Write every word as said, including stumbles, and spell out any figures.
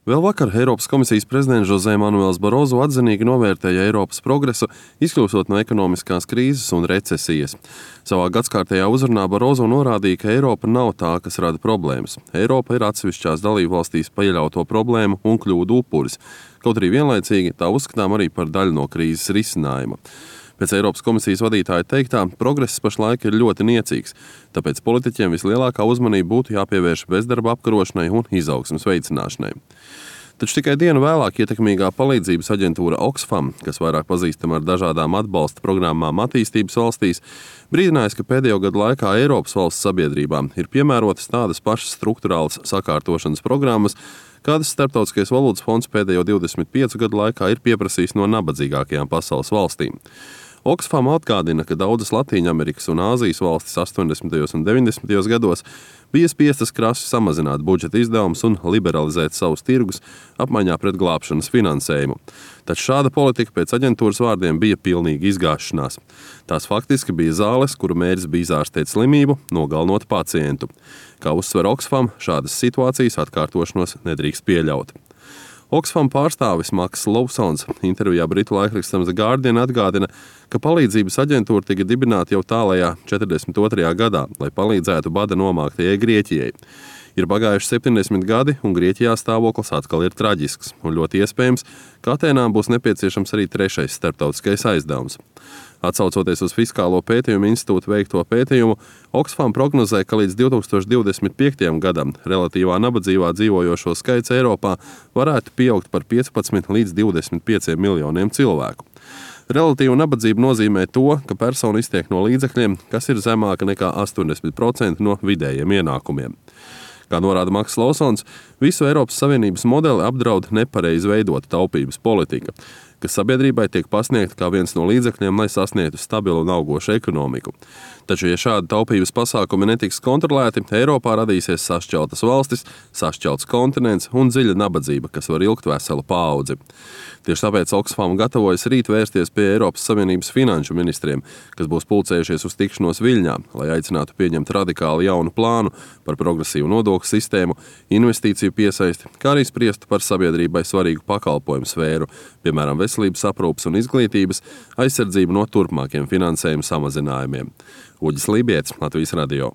Vēl vakar Eiropas komisijas prezidents José Manuels Barozo atzinīgi novērtēja Eiropas progresu, izkļūstot no ekonomiskās krīzes un recesijas. Savā gadskārtējā uzrunā Barozo norādīja, ka Eiropa nav tā, kas rada problēmas. Eiropa ir atsevišķās dalībvalstīs pieļauto problēmu un kļūdu upuris, kaut arī vienlaicīgi tā uzskatām arī par daļu no krīzes risinājuma. Pēc Eiropas komisijas vadītāja teiktā, progress pašlaik ir ļoti niecīgs, tāpēc politiķiem vislielākā uzmanība būtu jāpievērš bezdarba apkarošanai un izaugsmes veicināšanai. Taču tikai dienu vēlāk ietekmīgā palīdzības aģentūra Oxfam, kas vairāk pazīstama ar dažādām atbalsta programmām attīstības valstīs, brīdinājis, ka pēdējo gadu laikā Eiropas valsts sabiedrībām ir piemērotas tādas pašas strukturālas sakārtošanas programmas, kādas Starptautiskais valūtas fonds pēdējo divdesmit piecu gadu laikā ir pieprasījis no nabadzīgākajām pasaules valstīm. Oxfam atgādina, ka daudzas Latīņamerikas un Āzijas valstis astoņdesmitajos un deviņdesmitajos gados bija spiestas krasi samazināt budžeta izdevumus un liberalizēt savus tirgus apmaiņā pret glābšanas finansējumu. Taču šāda politika pēc aģentūras vārdiem bija pilnīga izgāšanās. Tās faktiski bija zāles, kuru mērķis bija izārstēt slimību, nogalinot pacientu. Kā uzsver Oxfam, šādas situācijas atkārtošanos nedrīkst pieļaut. Oxfam pārstāvis Maks Lowsons intervijā britu laikrakstam The Guardian atgādina, ka palīdzības aģentūra tika dibināta jau tālajā četrdesmit otrajā gadā, lai palīdzētu bada nomāktajai Grieķijai. Ir pagājuši septiņdesmit gadi, un Grieķijā stāvoklis atkal ir traģisks, un ļoti iespējams, ka Atēnām būs nepieciešams arī trešais starptautiskais aizdevums. Atsaucoties uz Fiskālo pētījumu institūtu veikto pētījumu, Oxfam prognozē, ka līdz divi tūkstoši divdesmit piektajam gadam relatīvā nabadzībā dzīvojošo skaits Eiropā varētu pieaugt par piecpadsmit līdz divdesmit pieciem miljoniem cilvēku. Relatīva nabadzība nozīmē to, ka persona iztiek no līdzekļiem, kas ir zemāka nekā astoņdesmit procenti no vidējiem ienākumiem. Kā norāda Maks Lowsons, visu Eiropas Savienības modeli apdraud nepareizi veidota taupības politika, kas sabiedrībai tiek pasniegta kā viens no līdzekļiem, lai sasniegtu stabilu un augošu ekonomiku. Taču, ja šādi taupības pasākumi netiks kontrolēti, Eiropā radīsies sašķeltas valstis, sašķelts kontinents un dziļa nabadzība, kas var ilgt veselu paudzi. Tieši tāpēc Oxfam gatavojas rīt vērsties pie Eiropas Savienības finanšu ministriem, kas būs pulcējušies uz tikšanos Viļņā, lai aicinātu pieņemt radikāli jaunu plānu par progresīvu nodokļu sistēmu, investīciju piesaisti, kā arī spriestu par sabiedrībai svarīgu pakalpojumu sfēru, piemēram, veselības aprūpes un izglītības, aizsardzību no turpmākiem finansējuma samazinājumiem. Uģis Lībietis, Latvijas radio.